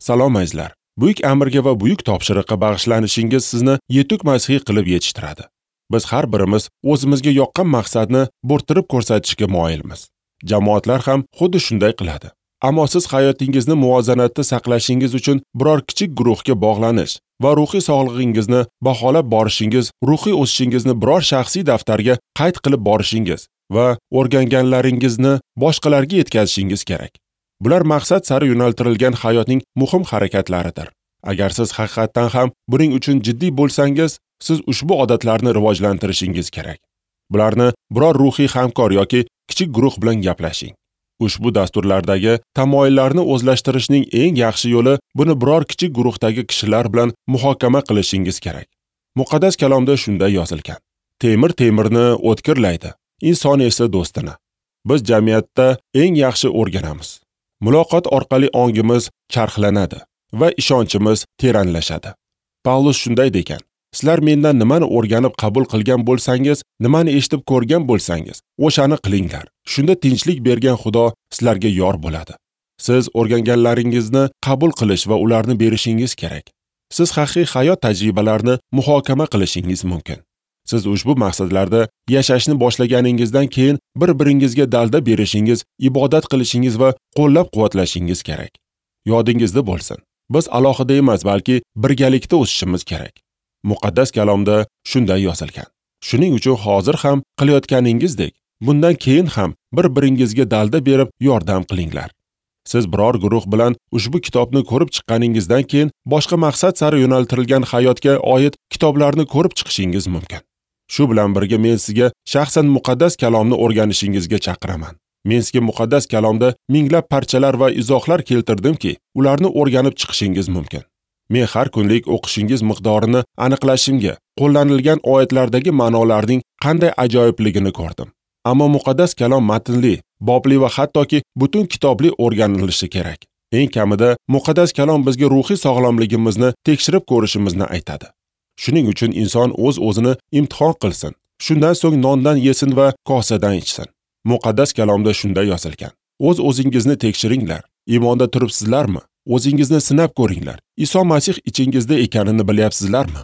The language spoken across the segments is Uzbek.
Salom azizlar. Buyuk amirga va buyuk topshiriqqa bag'ishlanishingiz sizni yetuk masihiy qilib yetishtiradi. Biz har birimiz o'zimizga yoqqan maqsadni bo'rttirib ko'rsatishga moyilmiz. Jamoatlar ham xuddi shunday qiladi. Ammo siz hayotingizni muvozanatda saqlashingiz uchun biror kichik guruhga bog'lanish va ruhiy sog'lig'ingizni baholab borishingiz, ruhiy o'sishingizni biror shaxsiy daftarga qayd qilib borishingiz va o'rganganlaringizni boshqalarga yetkazishingiz kerak. Bular maqsad sari yo'naltirilgan hayotning muhim harakatlaridir. Agar siz haqiqatdan ham buning uchun jiddiy bo'lsangiz, siz ushbu odatlarni rivojlantirishingiz kerak. Bularni biror ruhiy hamkor yoki kichik guruh bilan gaplashing. Ushbu dasturlardagi tamoyillarni o'zlashtirishning eng yaxshi yo'li buni biror kichik guruhdagi kishilar bilan muhokama qilishingiz kerak. Muqaddas kalomda shunday yozilgan: Temir temirni o'tkirlaydi, inson esa do'stini. Biz jamiyatda eng yaxshi o'rganamiz. Muloqot orqali ongimiz charxlanadi va ishonchimiz teranlashadi. Pavlus shunday degan: Sizlar mendan nimani o'rganib qabul qilgan bo'lsangiz, nimani eshitib ko'rgan bo'lsangiz, o'shani qilinglar. Shunda tinchlik bergan Xudo sizlarga yor bo'ladi. Siz o'rganganlaringizni qabul qilish va ularni berishingiz kerak. Siz haqiqiy hayot tajribalarini muhokama qilishingiz mumkin. Siz ushbu maqsadlarda yashashni boshlaganingizdan keyin bir-biringizga dalda berishingiz, ibodat qilishingiz va qo'llab-quvvatlashingiz kerak. Yodingizda bo'lsin, biz alohida emas, balki birgalikda o'sishimiz kerak. Muqaddas kalomda shunday yozilgan. Shuning uchun hozir ham qilayotganingizdek, bundan keyin ham bir-biringizga dalda berib yordam qilinglar. Siz biror guruh bilan ushbu kitobni ko'rib chiqqaningizdan keyin boshqa maqsad sari yo'naltirilgan hayotga oid kitoblarni ko'rib chiqishingiz mumkin. Shu bilan birga men sizga shaxsan muqaddas kalomni o'rganishingizga chaqiraman. Men sizga muqaddas kalomda minglab parchalar va izohlar keltirdimki, ularni o'rganib chiqishingiz mumkin. Men har kunlik o'qishingiz miqdorini aniqlashimga, qo'llanilgan oyatlardagi ma'nolarning qanday ajoyibligini ko'rdim. Ammo muqaddas kalom matnli, bobli va hattoki butun kitobli o'rganilishi kerak. Eng kamida muqaddas kalom bizga ruhiy sog'lomligimizni tekshirib ko'rishimizni aytadi. Shuning uchun inson o'z-o'zini imtihon qilsin. Shundan so'ng nondan yesin va kosadan ichsin. Muqaddas kalomda shunday yozilgan: O'z-o'zingizni tekshiringlar. Iymonda turibsizlarmi? O'zingizni sinab ko'ringlar. Iso Masih ichingizda ekanini bilyapsizlarmi?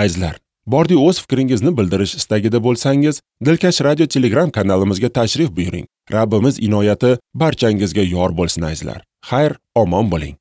Azizlar, bordi o'z fikringizni bildirish istagida bo'lsangiz, Dilkash Radio Telegram kanalimizga tashrif buyuring. Rabbimiz inoyati barchangizga yor bo'lsin azizlar. Xayr, omon bo'ling.